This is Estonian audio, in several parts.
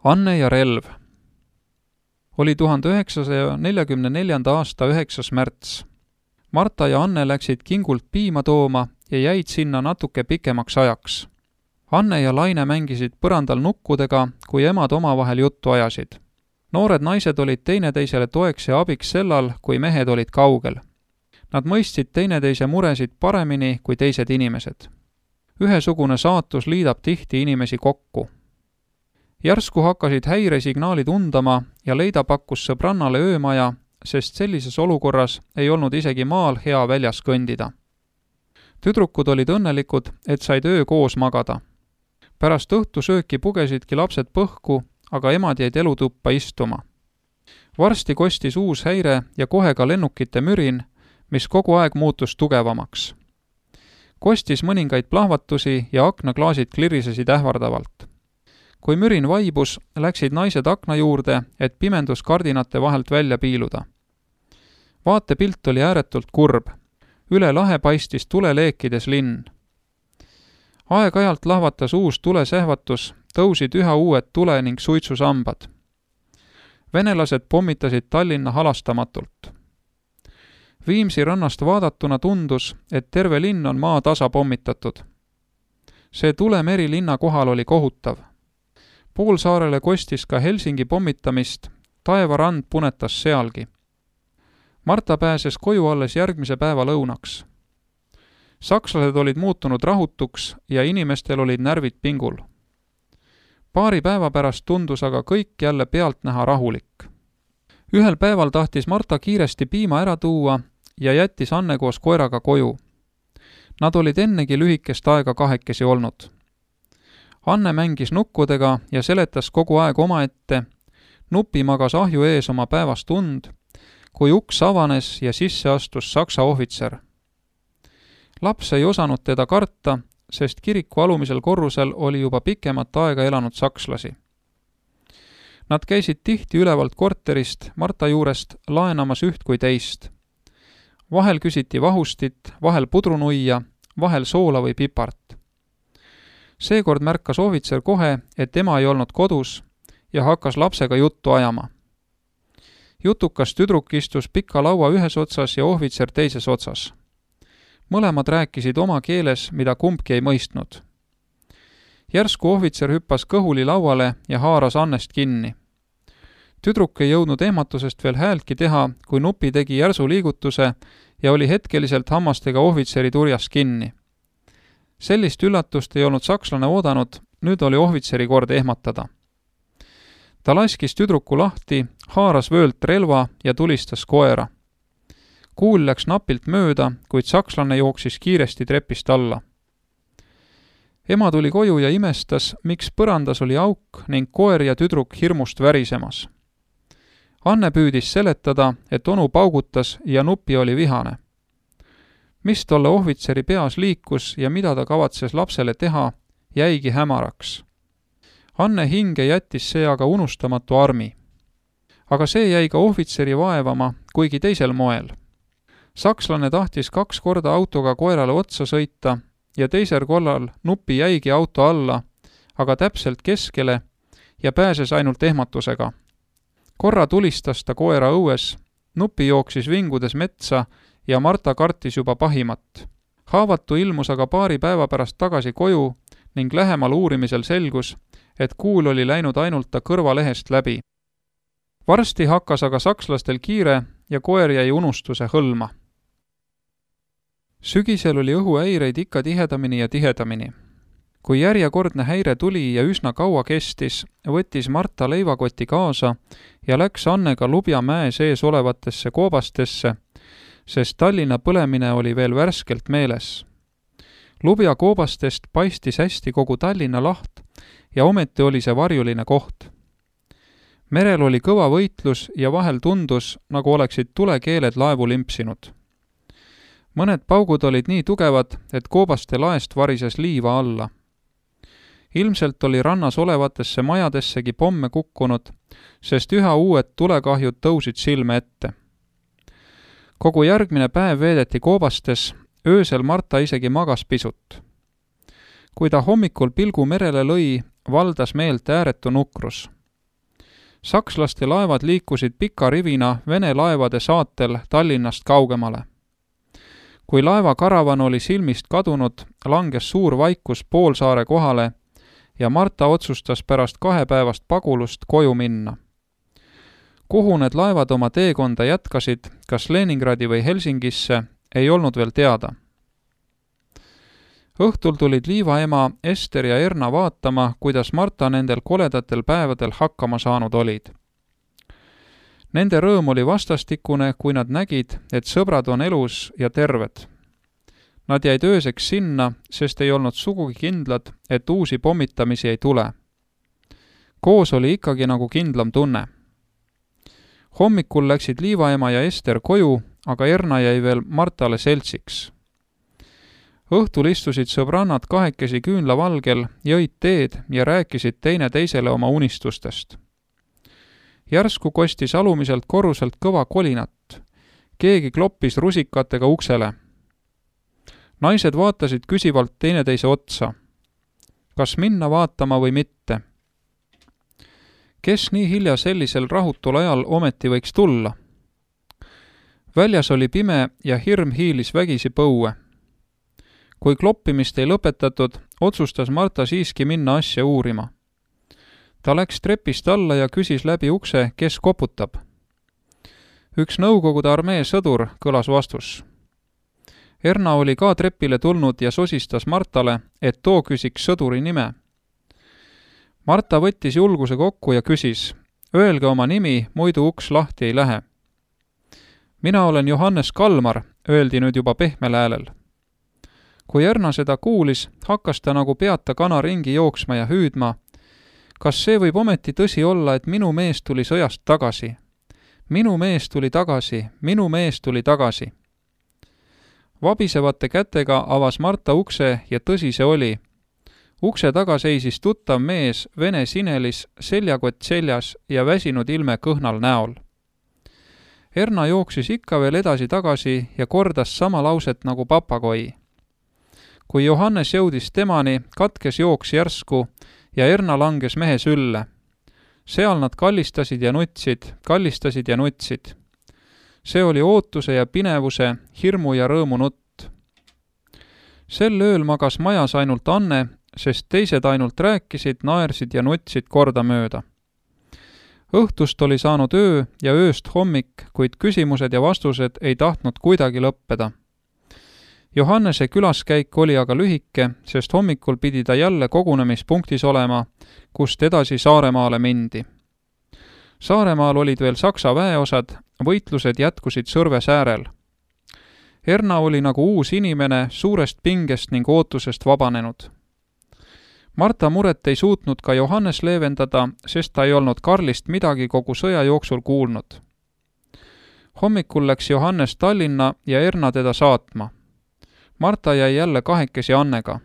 Anne ja relv. Oli 1944. aasta 9. märts. Marta ja Anne läksid kingult piima tooma ja jäid sinna natuke pikemaks ajaks. Anne ja Laine mängisid põrandal nukkudega, kui emad omavahel juttu ajasid. Noored naised olid teineteisele toeks ja abiks sellal, kui mehed olid kaugel. Nad mõistsid teineteise muresid paremini kui teised inimesed. Ühesugune saatus liidab tihti inimesi kokku. Järsku hakkasid häiresignaalid undama ja Leida pakkus sõbrannale öömaja, sest sellises olukorras ei olnud isegi maal hea väljas kõndida. Tüdrukud olid õnnelikud, et said öö koos magada. Pärast õhtusööki pugesidki lapsed põhku, aga emad jäid elutuppa istuma. Varsti kostis uus häire ja kohe ka lennukite mürin, mis kogu aeg muutus tugevamaks. Kostis mõningaid plahvatusi ja aknaklaasid klirisesid ähvardavalt. Kui mürin vaibus, läksid naised akna juurde, et pimenduskardinate vahelt välja piiluda. Vaatepilt oli ääretult kurb. Üle lahe paistis tuleleekides linn. Aeg-ajalt lahvatas uus tulesähvatus, tõusid üha uued tule- ning suitsusambad. Venelased pommitasid Tallinna halastamatult. Viimsi rannast vaadatuna tundus, et terve linn on maa tasa pommitatud. See tulemeri linna kohal oli kohutav. Poolsaarele kostis ka Helsingi pommitamist, taevarand punetas sealgi. Marta pääses koju alles järgmise päeva lõunaks. Sakslased olid muutunud rahutuks ja inimestel olid närvid pingul. Paari päeva pärast tundus aga kõik jälle pealtnäha rahulik. Ühel päeval tahtis Marta kiiresti piima ära tuua ja jättis Anne koos koeraga koju. Nad olid ennegi lühikest aega kahekesi olnud. Anne mängis nukkudega ja seletas kogu aeg omaette, Nupi magas ahju ees oma päevast und, kui uks avanes ja sisse astus saksa ohvitser. Laps ei osanud teda karta, sest kiriku alumisel korrusel oli juba pikemat aega elanud sakslasi. Nad käisid tihti ülevalt korterist Marta juurest laenamas üht kui teist. Vahel küsiti vahustit, vahel pudrunuia, vahel soola või pipart. Seekord märkas ohvitser kohe, et ema ei olnud kodus ja hakkas lapsega juttu ajama. Jutukas tüdruk istus pika laua ühes otsas ja ohvitser teises otsas. Mõlemad rääkisid oma keeles, mida kumbki ei mõistnud. Järsku ohvitser hüppas kõhuli lauale ja haaras Annest kinni. Tüdruk ei jõudnud ehmatusest veel häältki teha, kui Nupi tegi järsu liigutuse ja oli hetkeliselt hammastega ohvitseri turjas kinni. Sellist üllatust ei olnud sakslane oodanud, nüüd oli ohvitseri kord ehmatada. Ta laskis tüdruku lahti, haaras vöölt relva ja tulistas koera. Kuul läks napilt mööda, kuid sakslane jooksis kiiresti trepist alla. Ema tuli koju ja imestas, miks põrandas oli auk ning koer ja tüdruk hirmust värisemas. Anne püüdis seletada, et onu paugutas ja Nupi oli vihane. Mis tolle ohvitseri peas liikus ja mida ta kavatses lapsele teha, jäigi hämaraks. Anne hinge jättis see aga unustamatu armi. Aga see jäi ka ohvitseri vaevama, kuigi teisel moel. Sakslane tahtis 2 korda autoga koerale otsa sõita ja teisel korral Nupi jäigi auto alla, aga täpselt keskele ja pääses ainult ehmatusega. Korra tulistas ta koera õues, Nupi jooksis vingudes metsa ja Marta kartis juba pahimat. Haavatu ilmus aga paari päeva pärast tagasi koju ning lähemal uurimisel selgus, et kuul oli läinud ainult ta kõrvalehest läbi. Varsti hakkas aga sakslastel kiire ja koer jäi unustuse hõlma. Sügisel oli õhuhäireid ikka tihedamini ja tihedamini. Kui järjekordne häire tuli ja üsna kaua kestis, võttis Marta leivakoti kaasa ja läks Annega Lubja mäe sees olevatesse koobastesse, sest Tallinna põlemine oli veel värskelt meeles. Lubja koobastest paistis hästi kogu Tallinna laht ja ometi oli see varjuline koht. Merel oli kõva võitlus ja vahel tundus, nagu oleksid tulekeeled laevu limpsinud. Mõned paugud olid nii tugevad, et koobaste laest varises liiva alla. Ilmselt oli rannas olevatesse majadessegi pomme kukkunud, sest üha uued tulekahjud tõusid silme ette. Kogu järgmine päev veedeti koobastes, öösel Marta isegi magas pisut. Kui ta hommikul pilgu merele lõi, valdas meelt ääretu nukrus. Sakslaste laevad liikusid pika rivina Vene laevade saatel Tallinnast kaugemale. Kui laeva karavan oli silmist kadunud, langes suur vaikus poolsaare kohale ja Marta otsustas pärast 2 päevast pagulust koju minna. Kuhu need laevad oma teekonda jätkasid, kas Leningradi või Helsingisse, ei olnud veel teada. Õhtul tulid Liiva ema Ester ja Erna vaatama, kuidas Marta nendel koledatel päevadel hakkama saanud olid. Nende rõõm oli vastastikune, kui nad nägid, et sõbrad on elus ja terved. Nad jäid ööseks sinna, sest ei olnud sugugi kindlad, et uusi pommitamisi ei tule. Koos oli ikkagi nagu kindlam tunne. Hommikul läksid Liiva ema ja Ester koju, aga Erna jäi veel Martale seltsiks. Õhtul istusid sõbrannad 2 küünlavalgel, jõid teed ja rääkisid teine teisele oma unistustest. Järsku kostis alumiselt korruselt kõva kolinat. Keegi kloppis rusikatega uksele. Naised vaatasid küsivalt teineteise otsa. Kas minna vaatama või mitte? Kes nii hilja sellisel rahutul ajal ometi võiks tulla? Väljas oli pime ja hirm hiilis vägisi põue. Kui kloppimist ei lõpetatud, otsustas Marta siiski minna asja uurima. Ta läks trepist alla ja küsis läbi ukse, kes koputab. Üks Nõukogude armee sõdur, kõlas vastus. Erna oli ka trepile tulnud ja sosistas Martale, et too küsiks sõduri nime. Marta võttis julguse kokku ja küsis, öelge oma nimi, muidu uks lahti ei lähe. Mina olen Johannes Kalmar, öeldi nüüd juba pehmel häälel. Kui Erna seda kuulis, hakkas ta nagu peata kana ringi jooksma ja hüüdma. Kas see võib ometi tõsi olla, et minu mees tuli sõjast tagasi? Minu mees tuli tagasi, minu mees tuli tagasi. Vabisevate kätega avas Marta ukse ja tõsi see oli. Ukse taga seisis tuttav mees vene sinelis, seljakott seljas ja väsinud ilme kõhnal näol. Erna jooksis ikka veel edasi-tagasi ja kordas sama lauset nagu papagoi. Kui Johannes jõudis temani, katkes jooks järsku ja Erna langes mehe sülle. Seal nad kallistasid ja nutsid. See oli ootuse ja pinevuse, hirmu ja rõõmu nutt. Sel ööl magas majas ainult Anne, sest teised ainult rääkisid, naersid ja nutsid kordamööda. Õhtust oli saanud öö ja ööst hommik, kuid küsimused ja vastused ei tahtnud kuidagi lõppeda. Johannese külaskäik oli aga lühike, sest hommikul pidi ta jälle kogunemispunktis olema, kust edasi Saaremaale mindi. Saaremaal olid veel Saksa väeosad, võitlused jätkusid Sõrves äärel. Erna oli nagu uus inimene, suurest pingest ning ootusest vabanenud. Marta muret ei suutnud ka Johannes leevendada, sest ta ei olnud Karlist midagi kogu sõja jooksul kuulnud. Hommikul läks Johannes Tallinna ja Erna teda saatma. Marta jäi jälle kahekesi Annega.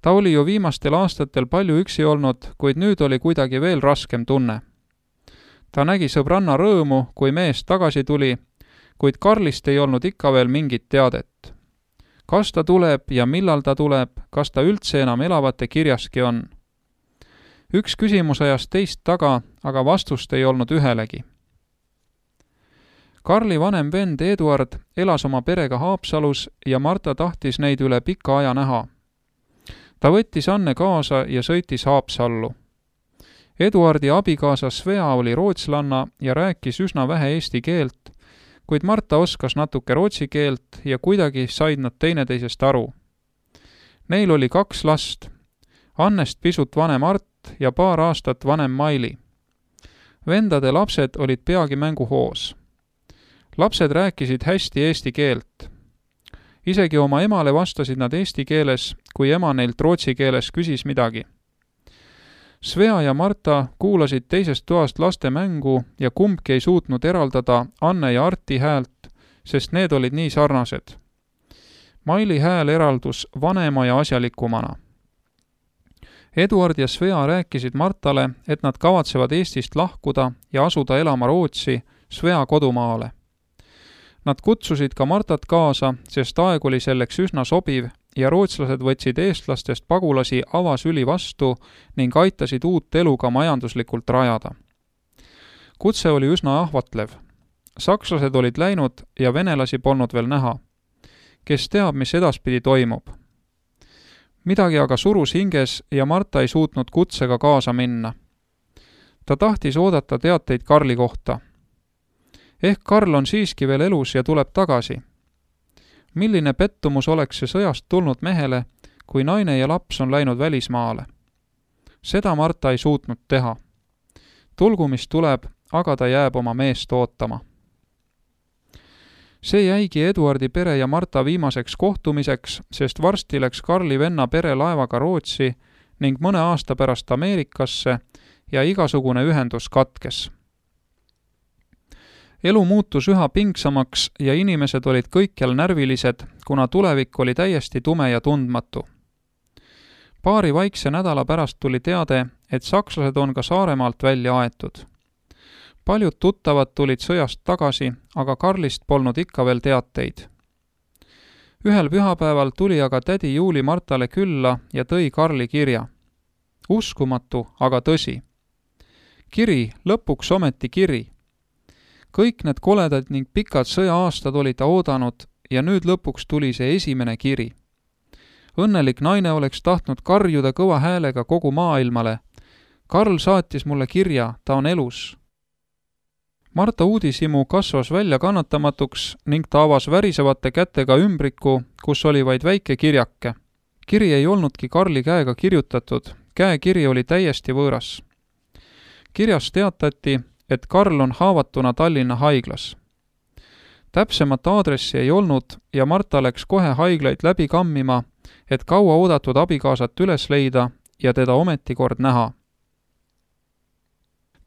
Ta oli ju viimastel aastatel palju üksi olnud, kuid nüüd oli kuidagi veel raskem tunne. Ta nägi sõbranna rõõmu, kui mees tagasi tuli, kuid Karlist ei olnud ikka veel mingit teadet. Kas ta tuleb ja millal ta tuleb, kas ta üldse enam elavate kirjaski on? Üks küsimus ajas teist taga, aga vastust ei olnud ühelegi. Karli vanem vend Eduard elas oma perega Haapsalus ja Marta tahtis neid üle pika aja näha. Ta võttis Anne kaasa ja sõitis Haapsallu. Eduardi abikaasa Svea oli rootslanna ja rääkis üsna vähe eesti keelt, kuid Marta oskas natuke rootsi keelt ja kuidagi said nad teineteisest aru. Neil oli 2 last, Annest pisut vanem Art ja paar aastat vanem Maili. Vendade lapsed olid peagi mänguhoos. Lapsed rääkisid hästi eesti keelt. Isegi oma emale vastasid nad eesti keeles, kui ema neilt rootsi keeles küsis midagi. Svea ja Marta kuulasid teisest toast laste mängu ja kumbki ei suutnud eraldada Anne ja Arti häält, sest need olid nii sarnased. Maili hääl eraldus vanema ja asjalikumana. Eduard ja Svea rääkisid Martale, et nad kavatsevad Eestist lahkuda ja asuda elama Rootsi, Svea kodumaale. Nad kutsusid ka Martat kaasa, sest aeg oli selleks üsna sobiv ja rootslased võtsid eestlastest pagulasi avasüli vastu ning aitasid uut elu ka majanduslikult rajada. Kutse oli üsna ahvatlev. Sakslased olid läinud ja venelasi polnud veel näha. Kes teab, mis edaspidi toimub. Midagi aga surus hinges ja Marta ei suutnud kutsega kaasa minna. Ta tahtis oodata teateid Karli kohta. Ehk Karl on siiski veel elus ja tuleb tagasi. Milline pettumus oleks see sõjast tulnud mehele, kui naine ja laps on läinud välismaale. Seda Marta ei suutnud teha. Tulgu mis tuleb, aga ta jääb oma meest ootama. See jäigi Eduardi pere ja Marta viimaseks kohtumiseks, sest varsti läks Karli venna pere laevaga Rootsi ning mõne aasta pärast Ameerikasse ja igasugune ühendus katkes. Elu muutus üha pingsamaks ja inimesed olid kõikjal närvilised, kuna tulevik oli täiesti tume ja tundmatu. Paari vaikse nädala pärast tuli teade, et sakslased on ka Saaremaalt välja aetud. Paljud tuttavad tulid sõjast tagasi, aga Karlist polnud ikka veel teateid. Ühel pühapäeval tuli aga tädi Juuli Martale külla ja tõi Karli kirja. Uskumatu, aga tõsi. Kiri, lõpuks ometi kiri. Kõik need koledad ning pikad sõja-aastad oli ta oodanud ja nüüd lõpuks tuli see esimene kiri. Õnnelik naine oleks tahtnud karjuda kõva häälega kogu maailmale. Karl saatis mulle kirja, ta on elus. Marta uudishimu kasvas välja kannatamatuks ning ta avas värisevate kätega ümbriku, kus oli vaid väike kirjake. Kiri ei olnudki Karli käega kirjutatud, käekiri oli täiesti võõras. Kirjas teatati, et Karl on haavatuna Tallinna haiglas. Täpsemat aadressi ei olnud ja Marta läks kohe haiglaid läbi kammima, et kaua oodatud abikaasat üles leida ja teda ometi kord näha.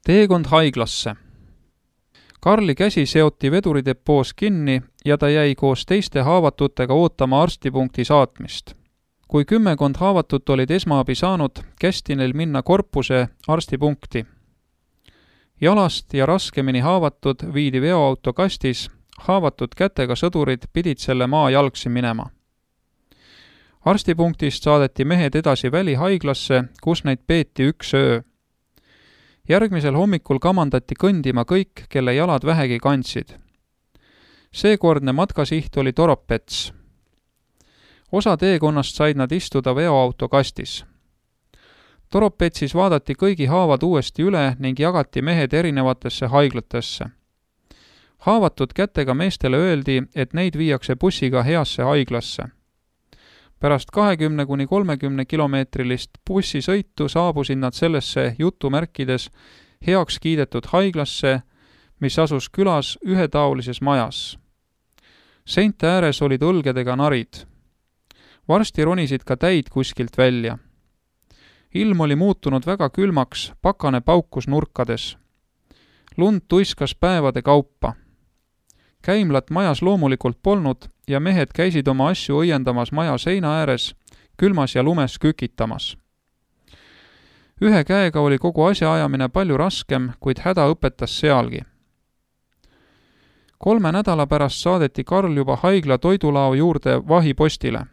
Teekond haiglasse. Karli käsi seoti veduridepoos kinni ja ta jäi koos teiste haavatutega ootama arstipunkti saatmist. Kui 10 haavatut olid esmaabi saanud, kästi neil minna korpuse arstipunkti. Jalast ja raskemini haavatud viidi veoauto kastis, haavatud kätega sõdurid pidid selle maa jalgsi minema. Arstipunktist saadeti mehed edasi välihaiglasse, kus neid peeti 1 öö. Järgmisel hommikul kamandati kõndima kõik, kelle jalad vähegi kandsid. Seekordne matkasiht oli Toropets. Osa teekonnast said nad istuda veoauto kastis. Toropetsis vaadati kõigi haavad uuesti üle ning jagati mehed erinevatesse haiglatesse. Haavatud kätega meestele öeldi, et neid viiakse bussiga heasse haiglasse. Pärast 20–30 kilomeetrilist bussisõitu saabusid nad sellesse jutumärkides heaks kiidetud haiglasse, mis asus külas ühetaolises majas. Seinte ääres olid õlgedega narid. Varsti ronisid ka täid kuskilt välja. Ilm oli muutunud väga külmaks, pakane paukus nurkades. Lund tuiskas päevade kaupa. Käimlat majas loomulikult polnud ja mehed käisid oma asju õiendamas maja seina ääres, külmas ja lumes kükitamas. Ühe käega oli kogu asja ajamine palju raskem, kuid häda õpetas sealgi. 3 nädala pärast saadeti Karl juba haigla toidulao juurde vahipostile.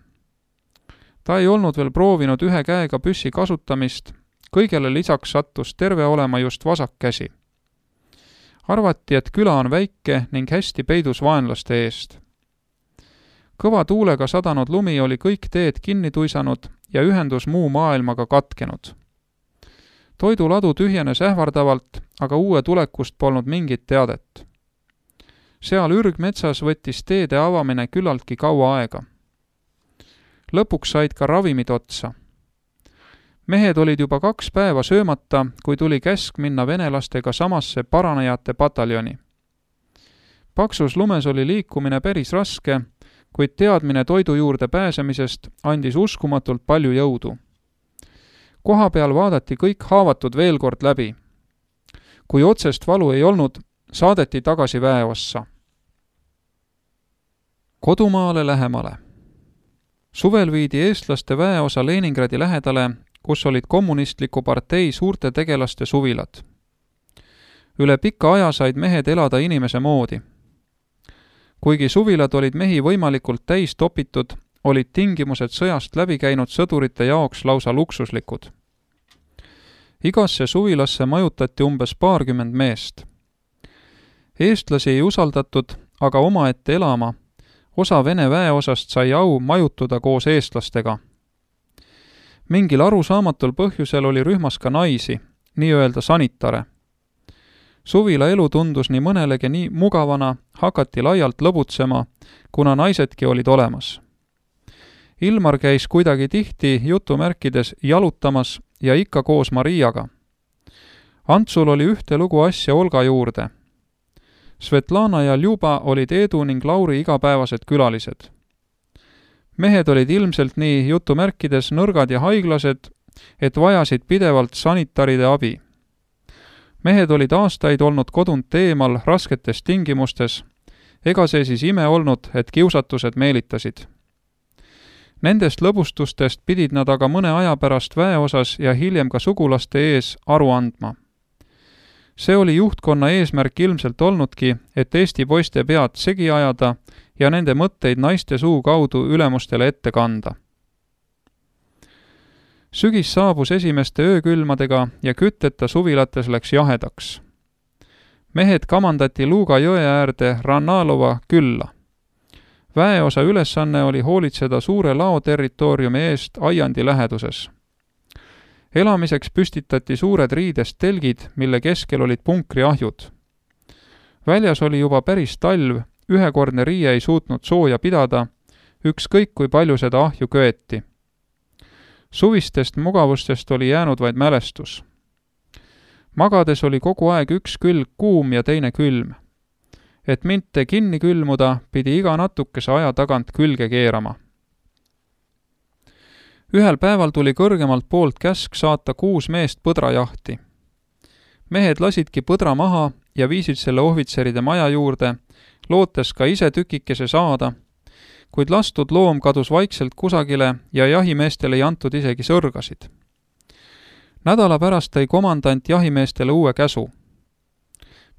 Ta ei olnud veel proovinud ühe käega püssi kasutamist, kõigele lisaks sattus terve olema just vasak käsi. Arvati, et küla on väike ning hästi peidus vaenlaste eest. Kõva tuulega sadanud lumi oli kõik teed kinni tuisanud ja ühendus muu maailmaga katkenud. Toiduladu tühjenes ähvardavalt, aga uue tulekust polnud mingit teadet. Seal ürgmetsas võttis teede avamine küllaltki kaua aega. Lõpuks said ka ravimid otsa. Mehed olid juba 2 päeva söömata, kui tuli käsk minna venelastega samasse paranejate pataljoni. Paksus lumes oli liikumine päris raske, kuid teadmine toidu juurde pääsemisest andis uskumatult palju jõudu. Koha peal vaadati kõik haavatud veel kord läbi. Kui otsest valu ei olnud, saadeti tagasi väeossa. Kodumaale lähemale. Suvel viidi eestlaste väeosa Leningradi lähedale, kus olid kommunistliku partei suurte tegelaste suvilad. Üle pika aja said mehed elada inimese moodi. Kuigi suvilad olid mehi võimalikult täis topitud, olid tingimused sõjast läbi käinud sõdurite jaoks lausa luksuslikud. Igasse suvilasse majutati umbes 20 meest. eestlasi ei usaldatud aga omaette elama, osa Vene väeosast sai au majutuda koos eestlastega. Mingil arusaamatul põhjusel oli rühmas ka naisi, nii-öelda sanitare. Suvila elu tundus nii mõnelegi nii mugavana, hakati laialt lõbutsema, kuna naisedki olid olemas. Ilmar käis kuidagi tihti jutumärkides jalutamas ja ikka koos Mariaga. Antsul oli ühte lugu asja Olga juurde. Svetlana ja Ljuba olid Eedu ning Lauri igapäevased külalised. Mehed olid ilmselt nii jutumärkides nõrgad ja haiglased, et vajasid pidevalt sanitaride abi. Mehed olid aastaid olnud kodunt eemal rasketes tingimustes, ega see siis ime olnud, et kiusatused meelitasid. Nendest lõbustustest pidid nad aga mõne aja pärast väeosas ja hiljem ka sugulaste ees aru andma. See oli juhtkonna eesmärk ilmselt olnudki, et Eesti poiste pead segi ajada ja nende mõtteid naiste suu kaudu ülemustele ette kanda. Sügis saabus esimeste öökülmadega ja kütteta suvilates läks jahedaks. Mehed kamandati Luga jõe äärde Rannalova külla. Väeosa ülesanne oli hoolitseda suure lao territooriumi eest aiandi läheduses. Elamiseks püstitati suured riidest telgid, mille keskel olid punkriahjud. Väljas oli juba päris talv, ühekordne riie ei suutnud sooja pidada, ükskõik kui palju seda ahju köeti. Suvistest mugavustest oli jäänud vaid mälestus. Magades oli kogu aeg üks külg kuum ja teine külm. Et mitte kinni külmuda, pidi iga natukese aja tagant külge keerama. Ühel päeval tuli kõrgemalt poolt käsk saata 6 meest põdrajahti. Mehed lasidki põdra maha ja viisid selle ohvitseride maja juurde, lootes ka ise tükikese saada, kuid lastud loom kadus vaikselt kusagile ja jahimeestele ei antud isegi sõrgasid. Nädala pärast tõi komandant jahimeestele uue käsu.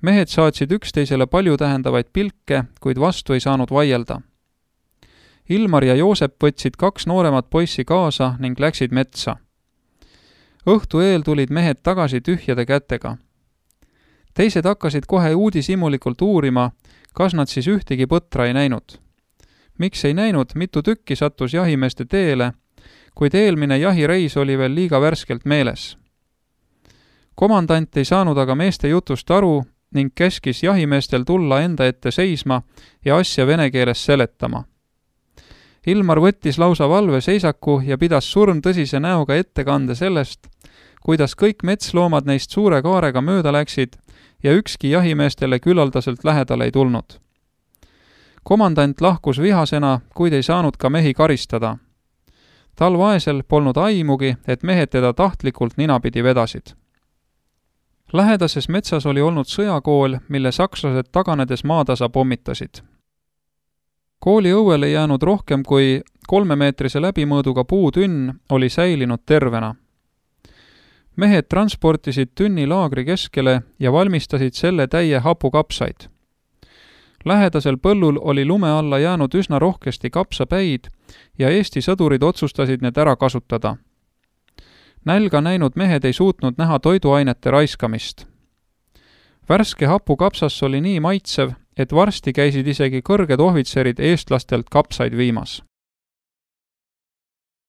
Mehed saatsid üksteisele palju tähendavaid pilke, kuid vastu ei saanud vaielda. Ilmar ja Joosep võtsid 2 nooremat poissi kaasa ning läksid metsa. Õhtu eel tulid mehed tagasi tühjade kätega. Teised hakkasid kohe uudishimulikult uurima, kas nad siis ühtegi põtra ei näinud. Miks ei näinud, mitu tükki sattus jahimeeste teele, kuid eelmine jahireis oli veel liiga värskelt meeles. Komandant ei saanud aga meeste jutust aru ning käskis jahimeestel tulla enda ette seisma ja asja vene keeles seletama. Ilmar võttis lausa valveseisaku ja pidas surmtõsise näoga ettekande sellest, kuidas kõik metsloomad neist suure kaarega mööda läksid ja ükski jahimeestele küllaldaselt lähedale ei tulnud. Komandant lahkus vihasena, kuid ei saanud ka mehi karistada. Tal vaesel polnud aimugi, et mehed teda tahtlikult ninapidi vedasid. Lähedases metsas oli olnud sõjakool, mille sakslased taganedes maatasa pommitasid. Kooli õuele jäänud rohkem kui 3-meetrise läbimõõduga puutünn oli säilinud tervena. Mehed transportisid tünni laagri keskele ja valmistasid selle täie hapukapsaid. Lähedasel põllul oli lume alla jäänud üsna rohkesti kapsapäid ja Eesti sõdurid otsustasid need ära kasutada. Nälga näinud mehed ei suutnud näha toiduainete raiskamist. Värske hapukapsas oli nii maitsev, et varsti käisid isegi kõrged ohvitserid eestlastelt kapsaid viimas.